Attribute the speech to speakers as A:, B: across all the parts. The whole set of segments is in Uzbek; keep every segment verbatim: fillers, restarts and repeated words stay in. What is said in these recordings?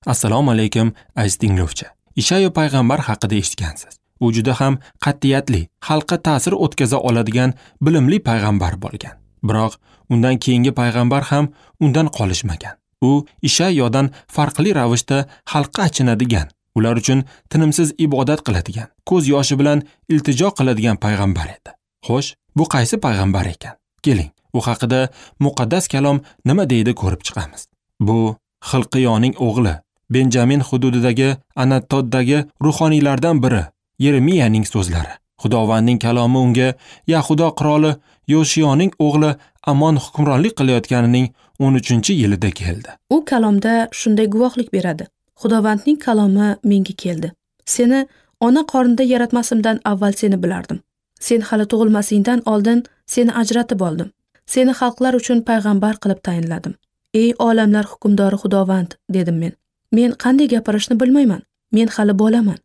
A: Assalomu alaykum aziz tinglovchi. Ishayo payg'ambar haqida eshitgansiz. U juda ham qat'iyatli, xalqqa ta'sir o'tkaza oladigan bilimli payg'ambar bo'lgan. Biroq undan keyingi payg'ambar ham undan qolishmagan. U Ishayodan farqli ravishda xalqqa achinadigan, ular uchun tinimsiz ibodat qiladigan, ko'z yoshi bilan iltijo qiladigan payg'ambar edi. Xo'sh, bu qaysi payg'ambar ekan? Keling, u haqida muqaddas kalom nima deydi ko'rib chiqamiz. Bu Xilqiyoning o'g'li, Benjamin hududidagi Anatoddagi ruhoniylardan biri Yeremiyaning so'zlari. Xudovandning kalomi unga Yahudo qiroli Yoshiyoning o'g'li Amon hukmronlik qilayotganining o'n uchinchi yilida keldi.
B: U kalomda shunday guvohlik beradi. Xudovandning kalomi menga keldi. Seni ona qornida yaratmasimdan avval seni bilardim. Sen hali tug'ilmasingdan oldin seni ajratib oldim. Seni xalqlar uchun payg'ambar qilib tayinladim. Ey olamlar hukmdori Xudovand, dedim men. Men qanday gapirishni bilmayman. Men hali bolaman.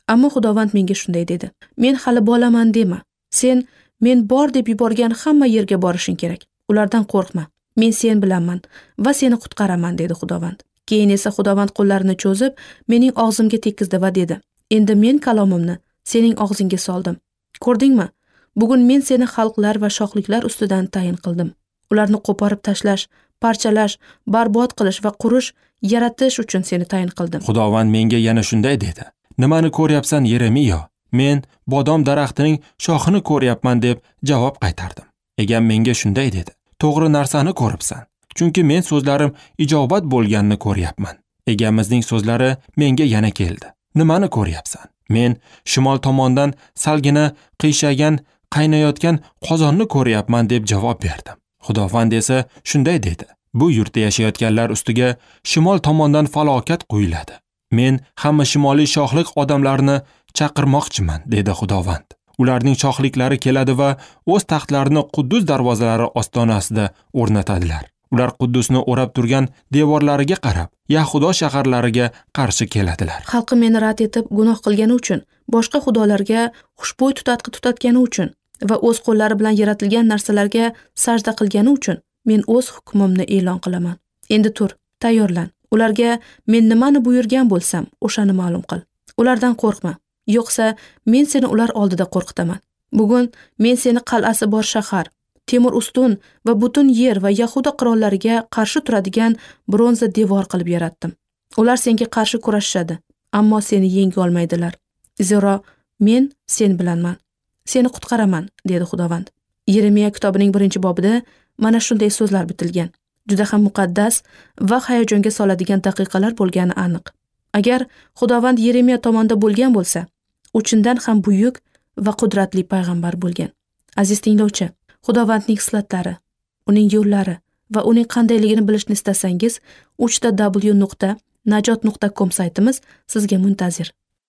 B: Ammo Xudovand menga shunday dedi. Men hali bolaman dema. Sen men bor deb yuborgan hamma yerga borishing kerak. Ulardan qo'rqma. Men sen bilanman va seni qutqaraman, dedi Xudovand. Keyin esa Xudovand qo'llarini cho'zib, mening og'zimga tekkizdi va dedi: Endi men kalomimni sening og'zingga soldim. Ko'rdingmi? Bugun men seni xalqlar va shohliklar ustidan tayin qildim. Ularni qo'porib tashlash, parchalash, barbod qilish va qurish, yaratish uchun seni tayin qildim.
A: Xudovand menga yana shunday dedi: Nimani ko'ryapsan, Yeremiyo? Men bodom daraxtining shoxini ko'ryapman, deb javob qaytardim. Egam menga shunday dedi: To'g'ri narsani ko'ribsan. Chunki men so'zlarim ijobat bo'lganini ko'ryapman. Egamizning so'zlari menga yana keldi. Nimani ko'ryapsan? Men shimol tomondan salgina qiyshaygan, qaynayotgan qozonni ko'ryapman, deb javob berdim. Xudovand esa shunday dedi: Bu yurtda yashayotganlar ustiga shimol tomondan falokat quyiladi. Men hamma shimoliy shohlik odamlarini chaqirmoqchiman, dedi Xudovand. Ularning shohliklari keladi va o'z taxtlarini Quddus darvozalari ostonasida o'rnatadilar. Ular Quddusni o'rab turgan devorlariga qarab, Yahudo shaharlariga qarshi keladilar.
B: Xalqi meni rad etib gunoh qilgani uchun, boshqa xudolarga xushbo'y tutatqi tutatgani uchun va o'z qo'llari bilan yaratilgan narsalarga sajda qilgani uchun men o'z hukmimni e'lon qilaman. Endi tur, tayyorlan. Ularga men nimani buyurgan bo'lsam, o'shani ma'lum qil. Ulardan qo'rqma, yo'qsa men seni ular oldida qo'rqitaman. Bugun men seni qal'asi bor shahar, temir ustun va butun yer va Yahuda qirollariga qarshi turadigan bronza devor qilib yaratdim. Ular senga qarshi kurashishadi, ammo seni yenga olmaydilar. Zero men sen bilanman. Seni qutqaraman, dedi Xudovand. Yeremiya kitobining birinchi bobida mana shunday so'zlar bitilgan. Juda ham muqaddas va hayajonga soladigan daqiqalar bo'lgani aniq. Agar Xudovand Yeremiya tomonda bo'lgan bo'lsa, u chindan ham buyuk va qudratli payg'ambar bo'lgan. Aziz tinglovchi, Xudovandning xislatlari, uning yo'llari va uning qandayligini bilishni istasangiz, uch ta w nuqta najot nuqta com saytimiz sizga muntazir.